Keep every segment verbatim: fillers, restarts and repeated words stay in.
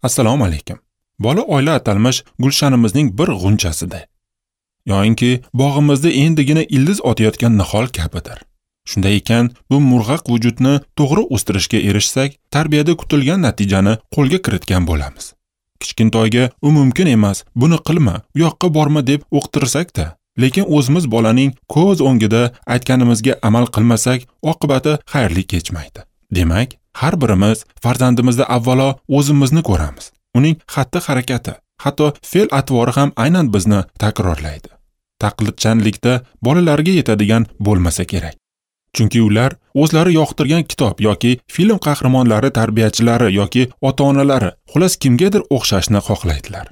Assalomu alaykum. Bola oila atalmish gulshanimizning bir g'unchasida, yoinki bog'imizda endigina ildiz otayotgan nihol kabidir. Shunday ekan, bu murg'aq vujudni to'g'ri o'stirishga erishsak, tarbiyada kutilgan natijani qo'lga kiritgan bo'lamiz. Kichkintoyga u mumkin emas, buni qilma, u yoqqa borma deb o'qtirsak-da, lekin o'zimiz bolaning ko'z o'ngida aytganimizga amal qilmasak, oqibati xayrli kechmaydi. Demak, har birimiz farzandimizda avvalo o'zimizni ko'ramiz. Uning xatti-harakati, hatto fe'l-atvori ham aynan bizni takrorlaydi. Taqlidchanlikda bolalarga yetadigan bo'lmasa kerak. Chunki ular o'zlari yoqtirgan kitob yoki film qahramonlari, tarbiyachilari yoki ota-onalari, xullas kimgadir o'xshashni xohlaydilar.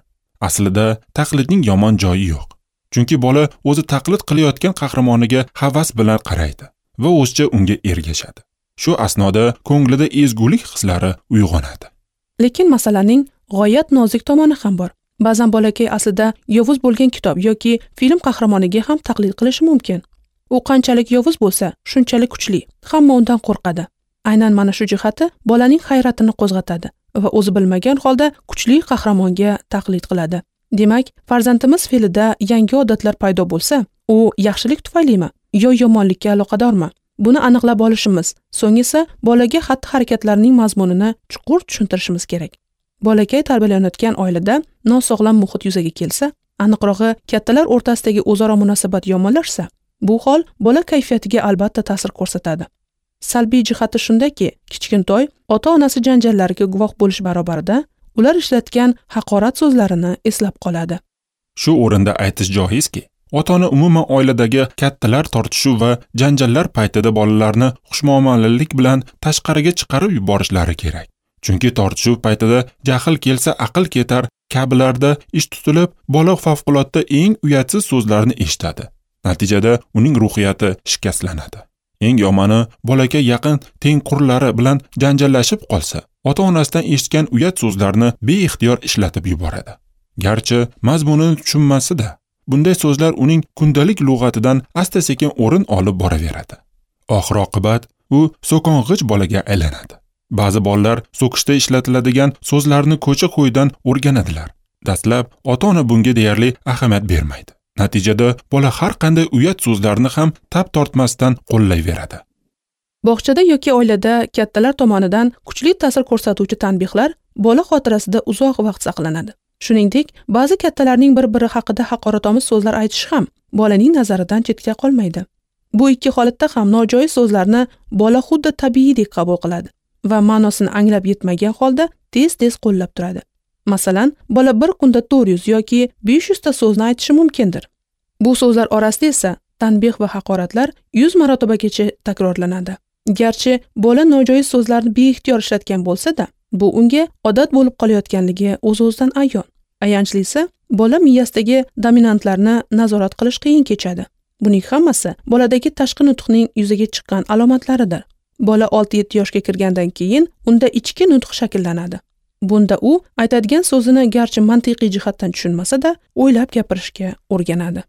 Aslida taqlidning yomon joyi yo'q. Chunki bola o'zi taqlid qilayotgan qahramoniga havas bilan qaraydi va o'zicha unga ergashadi. Shu asnoda ko'nglida ezgulik hislari uyg'onadi. Lekin masalaning g'oyat nozik tomoni ham bor. Ba'zan bolakay aslida yovuz bo'lgan kitob yoki film qahramoniga ham taqlid qilishi mumkin. U qanchalik yovuz bo'lsa, shunchalik kuchli. Hamma undan qo'rqadi. Aynan mana shu jihati bolaning hayratini qo'zg'atadi va o'zi bilmagan holda kuchli qahramonga taqlid qiladi. Demak, farzandimiz fe'lida yangi odatlar paydo bo'lsa, u yaxshilik tufaylimi yo yomonlikka aloqadormi? Buni aniqlab olishimiz, so'ng esa bolaga xatti-harakatlarning mazmunini chuqur tushuntirishimiz kerak. Bolakay tarbiyalanayotgan oilada nosog'lom muhit yuzaga kelsa, aniqrog'i kattalar o'rtasidagi o'zaro munosabat yomonlashsa, bu hol bola kayfiyatiga albatta ta'sir ko'rsatadi. Salbiy jihati shundaki, kichkintoy ota-onasi janjallariga guvoh bo'lish barobarida ular ishlatgan haqorat so'zlarini eslab qoladi. Shu o'rinda aytish joizki, ota-ona umuman oiladagi kattalar tortishuv va janjallar paytida bolalarni xushmuomalalik bilan tashqariga chiqarib yuborishlari kerak. Chunki tortishuv paytida jahl kelsa aql ketar kabilarda ish tutilib, bola favqulodda eng uyatsiz so'zlarni eshitadi. Natijada uning ruhiyati shikastlanadi. Eng yomoni, bolakay yaqin tengqurlari bilan janjallashib qolsa, ota-onasidan eshitgan uyat so'zlarni beixtiyor ishlatib yuboradi. Garchi mazmunini tushunmasa-da, bunday so'zlar uning kundalik lug'atidan asta-sekin o'rin olib boraveradi. Oxir-oqibat u so'kong'ich bolaga aylanadi. Ba'zi bolalar so'kishda ishlatiladigan so'zlarni ko'cha-ko'ydan o'rganadilar. Dastlab ota-ona bunga deyarli ahamiyat bermaydi. Natijada bola har qanday uyat so'zlarni ham tap tortmasdan qo'llayveradi. Bog'chada yoki oilada kattalar tomonidan kuchli ta'sir ko'rsatuvchi tanbehlar bola xotirasida uzoq vaqt saqlanadi. Shuningdek, ba'zi kattalarning bir-biri haqida haqoratomuz so'zlar aytishi ham bolaning nazaridan chetda qolmaydi. Bu ikki holatda ham nojoiz so'zlarni bola xuddi tabiiydek qabul qiladi va ma'nosini anglab yetmagan holda tez-tez qo'llab turadi. Masalan, bola bir kunda to'rt yuz yoki besh yuz ta so'zni aytishi mumkindir. Bu so'zlar orasida esa tanbeh va haqoratlar yuz marotabagacha takrorlanadi. Garchi bola nojoiz so'zlarni beixtiyor ishlatgan bo'lsa-da, bu unga odat bo'lib qolayotganligi o'z-o'zidan ayon. Ayanchlisi, bola miyasidagi dominantlarni nazorat qilish qiyin kechadi. Buning hammasi boladagi tashqi nutqning yuzaga chiqqan alomatlaridir. Bola olti yetti yoshga kirgandan keyin unda ichki nutq shakllanadi. Bunda u aytadigan so'zini garchi mantiqiy jihatdan tushunmasa-da, o'ylab gapirishga o'rganadi.